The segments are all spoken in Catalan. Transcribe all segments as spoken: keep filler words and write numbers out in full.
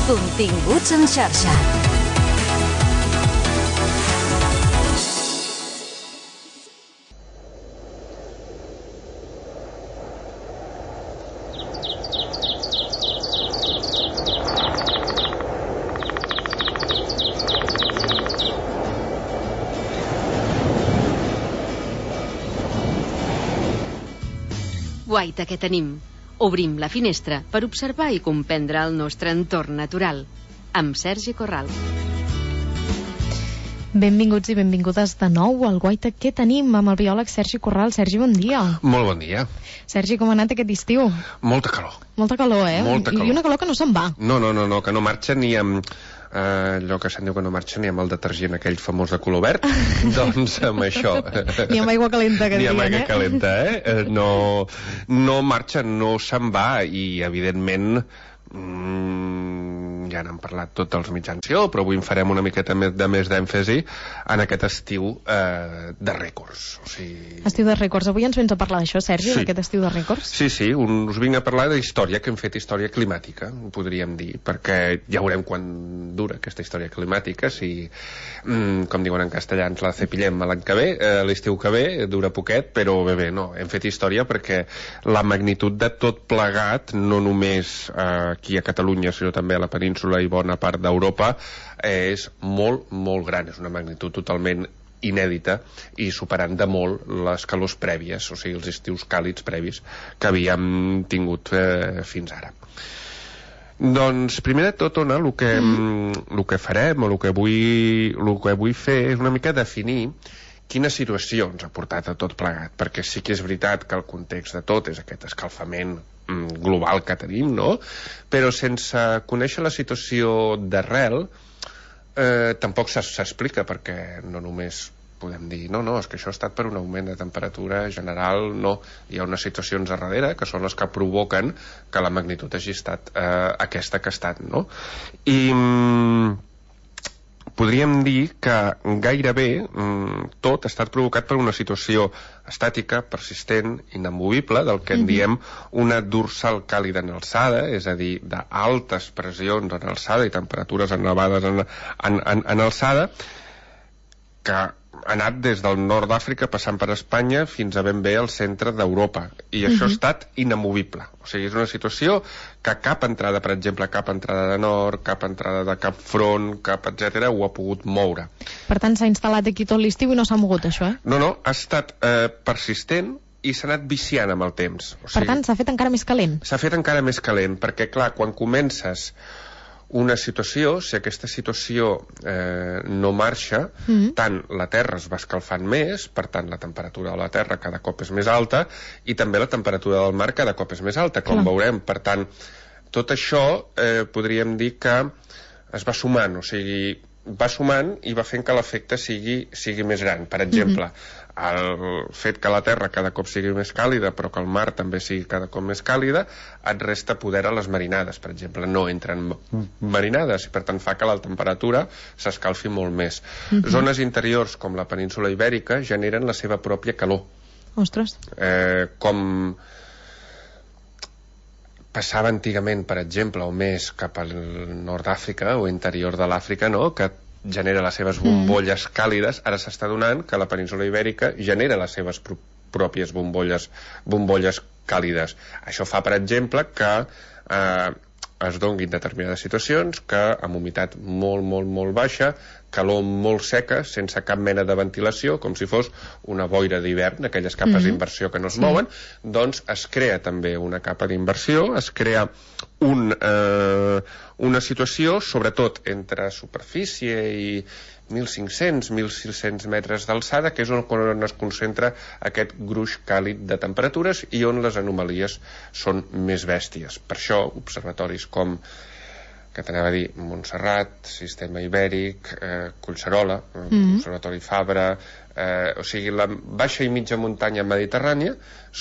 Continguts en xarxa. Guaita que tenim. Obrim la finestra per observar i comprendre el nostre entorn natural. Amb Sergi Corral. Benvinguts i benvingudes de nou al Guaita que tenim amb el biòleg Sergi Corral. Sergi, bon dia. Molt bon dia. Sergi, com ha anat aquest estiu? Molta calor. Molta calor, eh? Molta calor. I una calor que no se'n va. No, no, no, no, que no marxa ni amb... Uh, allò que se'n diu que no marxa ni amb el detergent aquell famós de color verd. Doncs amb això ni amb aigua calenta, que ni dirien, amb aigua eh? calenta, eh? No, no marxa, no se'n va. I evidentment mm, ja n'han parlat tots els mitjans, però avui en farem una miqueta més de més d'èmfasi en aquest estiu eh, de rècords. O sigui... Estiu de rècords. Avui ens vens a parlar d'això, Sergi, sí. d'aquest estiu de rècords? Sí, sí, un, us vinc a parlar d'història, que hem fet història climàtica, podríem dir, perquè ja veurem quan dura aquesta història climàtica, si, mm, com diuen en castellà, ens la cepillem l'any que ve, eh, l'estiu que ve, dura poquet, però bé, bé, no, hem fet història perquè la magnitud de tot plegat, no només eh, aquí a Catalunya, sinó també a la península i bona part d'Europa, eh, és molt, molt gran, és una magnitud totalment inèdita i superant de molt les calors prèvies, o sigui, els estius càlids previs que havíem tingut eh, fins ara. Doncs, primer de tot, Ona, el que, mm. el que farem, o el que, vull, el que vull fer és una mica definir quina situació ens ha portat a tot plegat, perquè sí que és veritat que el context de tot és aquest escalfament mm, global que tenim, no? Però sense conèixer la situació d'arrel, eh, tampoc s'explica, perquè no només podem dir, no, no, és que això ha estat per un augment de temperatura general, no, hi ha unes situacions a darrere que són les que provoquen que la magnitud hagi estat eh, aquesta que ha estat, no? I mm, podríem dir que gairebé mm, tot ha estat provocat per una situació estàtica, persistent, inamovible, del que en diem una dorsal càlida en alçada, és a dir, d'altes pressions en alçada i temperatures elevades en, en, en, en alçada, que ha anat des del nord d'Àfrica passant per Espanya fins a ben bé al centre d'Europa, i això uh-huh. ha estat inamovible. O sigui, és una situació que cap entrada, per exemple, cap entrada de nord, cap entrada de cap front, cap etcètera, ho ha pogut moure. Per tant, s'ha instal·lat aquí tot l'estiu i no s'ha mogut, això, eh? No, no, ha estat eh, persistent i s'ha anat viciant amb el temps. O sigui, per tant, s'ha fet encara més calent. S'ha fet encara més calent, perquè, clar, quan comences una situació, si aquesta situació eh, no marxa, mm-hmm. tant la Terra es va escalfant més, per tant la temperatura de la Terra cada cop és més alta, i també la temperatura del mar cada cop és més alta, com Clar. veurem. Per tant, tot això eh, podríem dir que es va sumant, o sigui, va sumant i va fent que l'efecte sigui, sigui més gran. Per exemple, mm-hmm. el fet que la Terra cada cop sigui més càlida, però que el mar també sigui cada cop més càlida, et resta poder a les marinades. Per exemple, no entren marinades i per tant fa que la temperatura s'escalfi molt més. Mm-hmm. Zones interiors com la península Ibèrica generen la seva pròpia calor. Ostres. Eh, com passava antigament, per exemple, o més cap al nord d'Àfrica o interior de l'Àfrica, no?, que genera les seves bombolles mm. càlides, ara s'està donant que la península Ibèrica genera les seves pr pròpies bombolles, bombolles càlides. Això fa, per exemple, que eh, es donguin determinades situacions que amb humitat molt, molt, molt baixa, calor molt seca, sense cap mena de ventilació, com si fos una boira d'hivern, aquelles capes mm-hmm. d'inversió que no es sí. mouen, doncs es crea també una capa d'inversió, es crea un, eh, una situació, sobretot entre superfície i mil cinc-cents a mil sis-cents metres d'alçada, que és on, on es concentra aquest gruix càlid de temperatures i on les anomalies són més bèsties. Per això, observatoris com que t'anava a dir Montserrat, Sistema Ibèric, eh, Collserola, mm-hmm. Observatori Fabra, eh, o sigui, la baixa i mitja muntanya mediterrània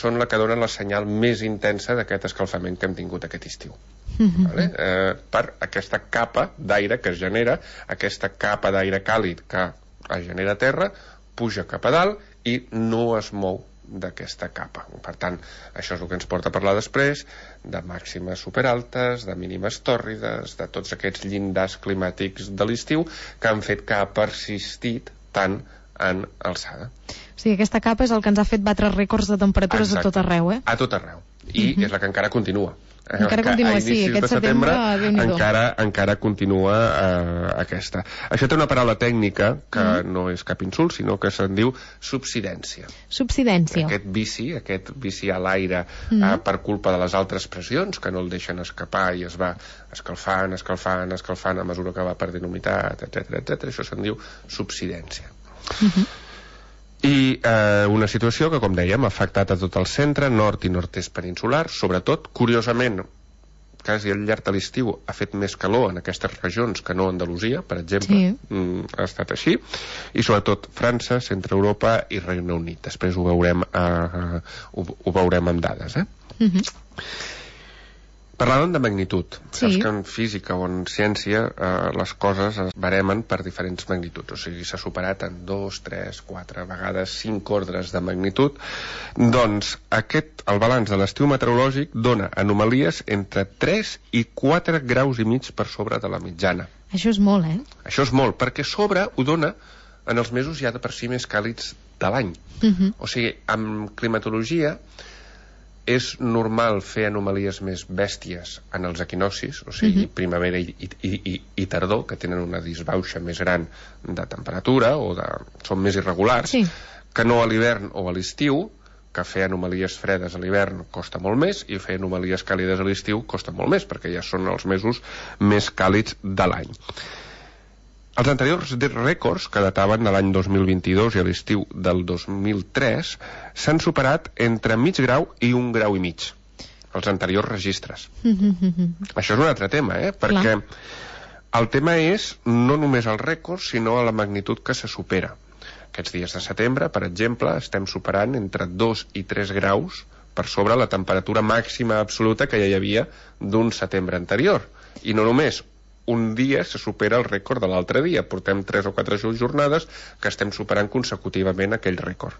són la que dona la senyal més intensa d'aquest escalfament que hem tingut aquest estiu. Mm-hmm. Vale? Eh, per aquesta capa d'aire que es genera, aquesta capa d'aire càlid que es genera a terra, puja cap a dalt i no es mou d'aquesta capa. Per tant, això és el que ens porta a parlar després de màximes superaltes, de mínimes tòrrides, de tots aquests llindars climàtics de l'estiu que han fet que ha persistit tant en alçada. O sigui, aquesta capa és el que ens ha fet batre rècords de temperatures Exacte. a tot arreu, eh? A tot arreu. I uh-huh. és la que encara continua. Encara continua, sí, aquest setembre, setembre encara, encara continua eh, aquesta. Això té una paraula tècnica que mm. no és cap insult, sinó que se'n diu subsidència. Subsidència. Aquest vici, aquest vici a l'aire mm. eh, per culpa de les altres pressions que no el deixen escapar i es va escalfant, escalfant, escalfant a mesura que va perdent humitat, etcètera, etcètera. Això se'n diu subsidència. Mm-hmm. I eh, una situació que, com dèiem, ha afectat a tot el centre, nord i nord-est peninsular, sobretot, curiosament, quasi al llarg de l'estiu ha fet més calor en aquestes regions que no a Andalusia, per exemple, sí. mm, ha estat així, i sobretot França, Centre Europa i Regne Unit. Després ho veurem, eh, ho, ho veurem amb dades, eh? Mm-hmm. Parlàvem de magnitud. Sí. Saps que en física o en ciència eh, les coses es baremen per diferents magnituds. O sigui, s'ha superat en dos, tres, quatre, vegades cinc ordres de magnitud. Doncs aquest, el balanç de l'estiu meteorològic dona anomalies entre tres i quatre graus i mig per sobre de la mitjana. Això és molt, eh? Això és molt, perquè sobre ho dona en els mesos ja de per si més càlids de l'any. Uh-huh. O sigui, amb climatologia és normal fer anomalies més bèsties en els equinocis, o sigui, uh-huh. primavera i, i, i, i tardor, que tenen una disbauxa més gran de temperatura o de, són més irregulars, sí. que no a l'hivern o a l'estiu, que fer anomalies fredes a l'hivern costa molt més i fer anomalies càlides a l'estiu costa molt més, perquè ja són els mesos més càlids de l'any. Els anteriors rècords, que dataven de l'any dos mil vint-i-dos i a l'estiu del dos mil tres, s'han superat entre mig grau i un grau i mig, els anteriors registres. Mm-hmm. Això és un altre tema, eh? Perquè Clar. el tema és no només el rècord, sinó la magnitud que se supera. Aquests dies de setembre, per exemple, estem superant entre dos i tres graus per sobre la temperatura màxima absoluta que ja hi havia d'un setembre anterior. I no només un dia se supera el rècord de l'altre dia. Portem tres o quatre jornades que estem superant consecutivament aquell rècord.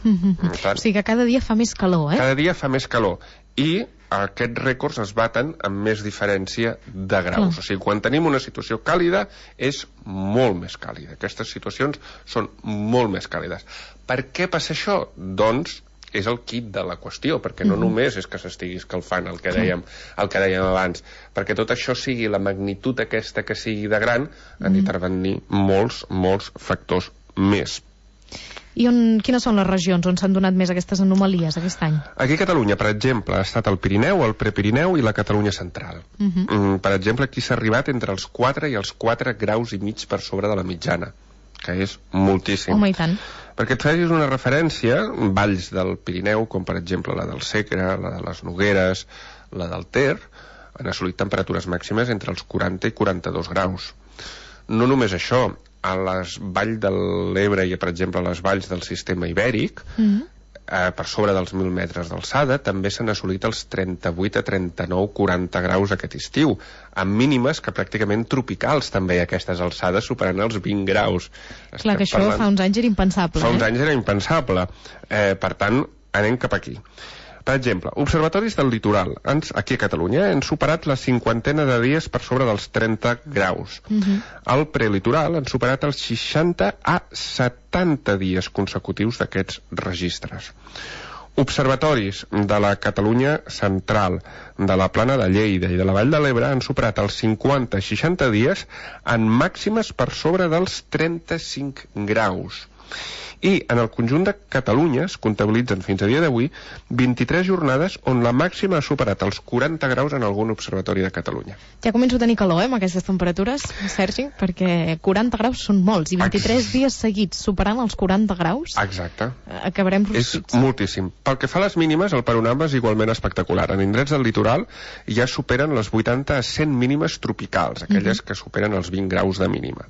Mm-hmm. Tant, o sigui que cada dia fa més calor, eh? Cada dia fa més calor. I aquests rècords es baten amb més diferència de graus. Clar. O sigui, quan tenim una situació càlida, és molt més càlida. Aquestes situacions són molt més càlides. Per què passa això? Doncs és el kit de la qüestió, perquè no mm-hmm. només és que s'estigui escalfant el que dèiem, el que dèiem abans, perquè tot això sigui la magnitud aquesta que sigui de gran, mm-hmm. han d'intervenir molts, molts factors més. I on, quines són les regions on s'han donat més aquestes anomalies aquest any? Aquí a Catalunya, per exemple, ha estat el Pirineu, el Prepirineu i la Catalunya central. Mm-hmm. Mm, per exemple, aquí s'ha arribat entre els quatre i els quatre graus i mig per sobre de la mitjana, que és moltíssim. Home, i tant. Perquè et facis una referència, valls del Pirineu, com per exemple la del Segre, la de les Nogueres, la del Ter, han assolit temperatures màximes entre els quaranta i quaranta-dos graus. No només això, a les valls de l'Ebre i, per exemple, a les valls del sistema ibèric, mm-hmm. eh, per sobre dels mil metres d'alçada, també s'han assolit els trenta-vuit a trenta-nou, quaranta graus aquest estiu, amb mínimes que pràcticament tropicals també a aquestes alçades, superant els vint graus. Clar, Estem que això parlant... fa uns anys era impensable. Fa uns eh? anys era impensable. Eh, per tant, anem cap aquí. Per exemple, observatoris del litoral, ens, aquí a Catalunya, han superat la cinquantena de dies per sobre dels trenta graus. Uh-huh. Al prelitoral han superat els seixanta a setanta dies consecutius d'aquests registres. Observatoris de la Catalunya central, de la Plana de Lleida i de la Vall de l'Ebre han superat els cinquanta a seixanta dies en màximes per sobre dels trenta-cinc graus. I en el conjunt de Catalunya es comptabilitzen fins a dia d'avui vint-i-tres jornades on la màxima ha superat els quaranta graus en algun observatori de Catalunya. Ja començo a tenir calor, eh, amb aquestes temperatures, Sergi, perquè quaranta graus són molts, i vint-i-tres Ex... dies seguits superant els quaranta graus. Exacte. Acabarem rostits. És moltíssim. Pel que fa a les mínimes, el panorama és igualment espectacular. En indrets del litoral ja superen les vuitanta a cent mínimes tropicals, aquelles mm-hmm. que superen els vint graus de mínima.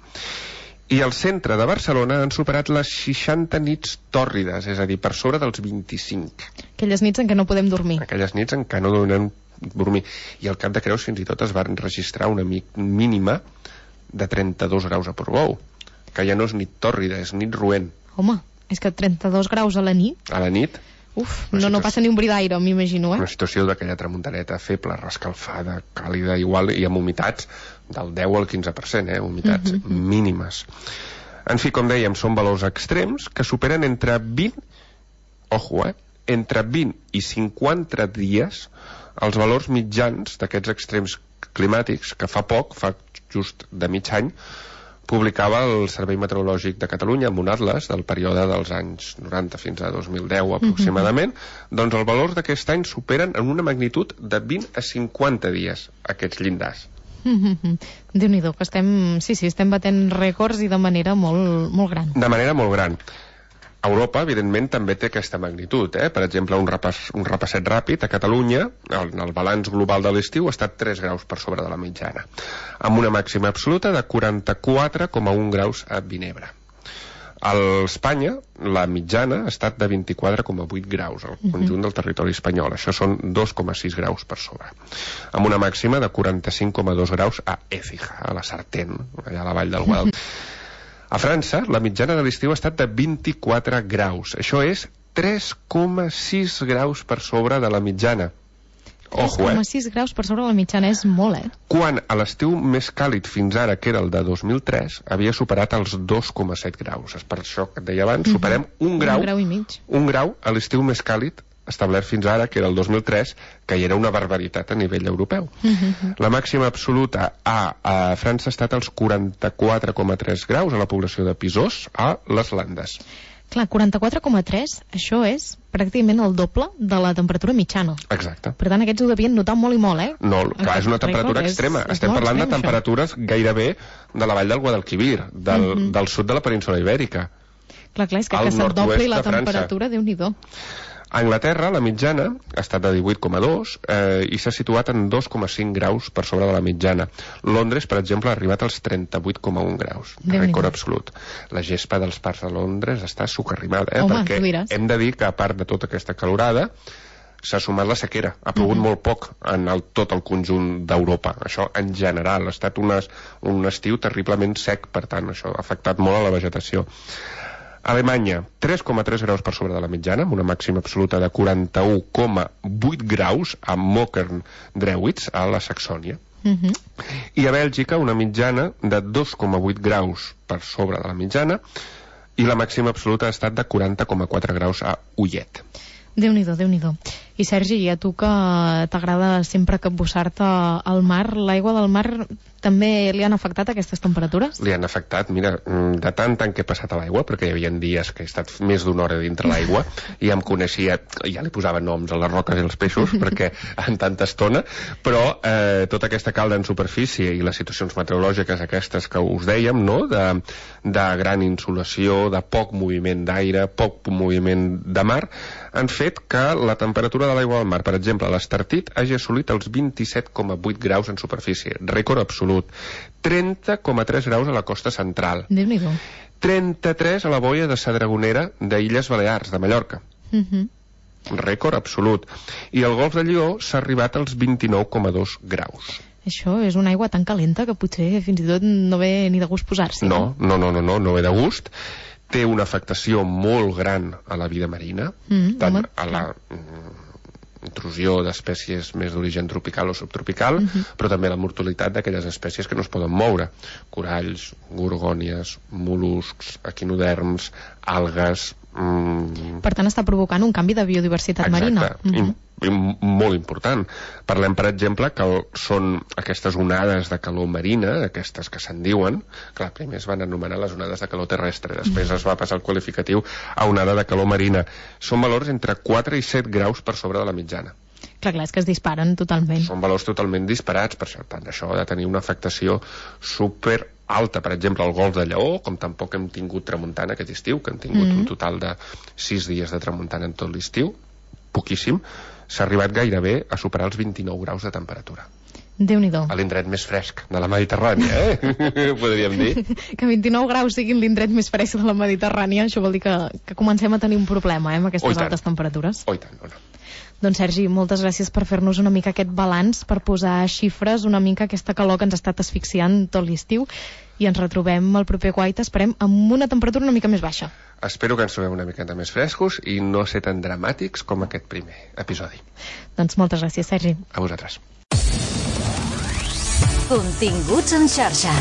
I al centre de Barcelona han superat les seixanta nits tòrrides, és a dir, per sobre dels vint-i-cinc. Aquelles nits en què no podem dormir. Aquelles nits en què no donem dormir. I al Cap de Creus fins i tot es va registrar una mínima de trenta-dos graus a Portbou, que ja no és nit tòrrida, és nit roent. Home, és que trenta-dos graus a la nit... A la nit... Uf, no, no passa ni un bri d'aire, m'imagino, eh? Una situació d'aquella tramuntaneta feble, rescalfada, càlida, igual, i amb humitats del deu al quinze per cent, eh? Humitats mm -hmm. mínimes. En fi, com dèiem, són valors extrems que superen entre vint, ojo, eh? entre vint i cinquanta dies els valors mitjans d'aquests extrems climàtics que fa poc, fa just de mig any, publicava el Servei Meteorològic de Catalunya amb un atles del període dels anys noranta fins a dos mil deu aproximadament, mm-hmm. doncs els valors d'aquest any superen en una magnitud de vint a cinquanta dies aquests llindars. Mm-hmm. Déu-n'hi-do, que estem, sí, sí, estem batent rècords i de manera molt, molt gran. De manera molt gran. Europa, evidentment, també té aquesta magnitud. Eh? Per exemple, un, repàs, un repasset ràpid a Catalunya, el, el balanç global de l'estiu ha estat tres graus per sobre de la mitjana, amb una màxima absoluta de quaranta-quatre coma un graus a Vinebre. A Espanya, la mitjana ha estat de vint-i-quatre coma vuit graus al conjunt del territori espanyol. Això són dos coma sis graus per sobre. Amb una màxima de quaranta-cinc coma dos graus a Écija, a la Sartén, allà a la vall del Guadalquivir. A França, la mitjana de l'estiu ha estat de vint-i-quatre graus. Això és tres coma sis graus per sobre de la mitjana. tres coma sis eh? graus per sobre de la mitjana és molt, eh? Quan a l'estiu més càlid fins ara, que era el de dos mil tres, havia superat els dos coma set graus. És per això que et deia abans, superem un grau, un grau i mig. Un grau a l'estiu més càlid establert fins ara, que era el dos mil tres, que hi era una barbaritat a nivell europeu. Uh-huh. La màxima absoluta a, a França ha estat als quaranta-quatre coma tres graus a la població de Pisós, a les Landes. Clar, quaranta-quatre coma tres, això és pràcticament el doble de la temperatura mitjana. Exacte. Per tant, aquests ho devien notar molt i molt, eh? No, clar, és una temperatura extrema. És, és Estem parlant extrem, de temperatures això. Gairebé de la vall del Guadalquivir, del, uh-huh. del sud de la península Ibèrica. Clar, clar, és que, que se't dobli la temperatura, Déu-n'hi-do. A Anglaterra, la mitjana ha estat de divuit coma dos eh, i s'ha situat en dos coma cinc graus per sobre de la mitjana. Londres, per exemple, ha arribat als trenta-vuit coma un graus. Rècord absolut. La gespa dels parcs de Londres està sucarrimada, eh? Home, perquè hem de dir que, a part de tota aquesta calorada, s'ha sumat la sequera. Ha plogut mm-hmm. molt poc en el, tot el conjunt d'Europa. Això, en general, ha estat unes, un estiu terriblement sec, per tant, això ha afectat molt a la vegetació. Alemanya, tres coma tres graus per sobre de la mitjana, amb una màxima absoluta de quaranta-u coma vuit graus a Mockern-Drewitz, a la Saxònia. Uh-huh. I a Bèlgica, una mitjana de dos coma vuit graus per sobre de la mitjana, i la màxima absoluta ha estat de quaranta coma quatre graus a Ullet. Déu-n'hi-do, Déu-n'hi-do. I Sergi, a tu que t'agrada sempre capbussar-te al mar, l'aigua del mar també li han afectat aquestes temperatures? Li han afectat, mira, de tant tant que he passat a l'aigua, perquè hi havia dies que he estat més d'una hora dintre l'aigua i em coneixia, ja li posava noms a les roques i als peixos, perquè en tanta estona, però eh, tota aquesta calda en superfície i les situacions meteorològiques aquestes que us dèiem, no?, de, de gran insolació, de poc moviment d'aire, poc moviment de mar, han fet que la temperatura de l'aigua del mar, per exemple, a l'Estartit, hagi assolit els vint-i-set coma vuit graus en superfície, rècord absolut. trenta coma tres graus a la costa central. Déu-n'hi-do. trenta-tres a la boia de Sa Dragonera d'Illes Balears, de Mallorca. Uh-huh. Rècord absolut. I al Golf de Lió s'ha arribat als vint-i-nou coma dos graus. Això és una aigua tan calenta que potser fins i tot no ve ni de gust posar-s'hi. No, no, no, no, no, no ve de gust. Té una afectació molt gran a la vida marina, mm, tant home, a la mm, intrusió d'espècies més d'origen tropical o subtropical, mm-hmm. però també la mortalitat d'aquelles espècies que no es poden moure. Coralls, gorgònies, mol·luscs, equinoderms, algues... Mm... Per tant, està provocant un canvi de biodiversitat Exacte. marina. Mm-hmm. I, i molt important. Parlem, per exemple, que el, són aquestes onades de calor marina, aquestes que se'n diuen, clar, primer es van anomenar les onades de calor terrestre, després es va passar el qualificatiu a onada de calor marina. Són valors entre quatre i set graus per sobre de la mitjana. Clar, clar, és que es disparen totalment. Són valors totalment disparats, per això, tant això ha de tenir una afectació super alta. Per exemple, al Golf de Lleó, com tampoc hem tingut tramuntana aquest estiu, que hem tingut mm-hmm. un total de sis dies de tramuntana en tot l'estiu, poquíssim, s'ha arribat gairebé a superar els vint-i-nou graus de temperatura. Déu-n'hi-do. A l'indret més fresc de la Mediterrània, eh? Podríem dir. Que vint-i-nou graus siguin l'indret més fresc de la Mediterrània, això vol dir que, que comencem a tenir un problema, eh, amb aquestes altes temperatures. Oh, i tant, no, no. Doncs Sergi, moltes gràcies per fer-nos una mica aquest balanç, per posar xifres, una mica aquesta calor que ens ha estat asfixiant tot l'estiu, i ens retrobem el proper Guaita, esperem, amb una temperatura una mica més baixa. Espero que ens trobem una miqueta més frescos i no ser tan dramàtics com aquest primer episodi. Doncs moltes gràcies, Sergi. A vosaltres. Continguts en xarxa.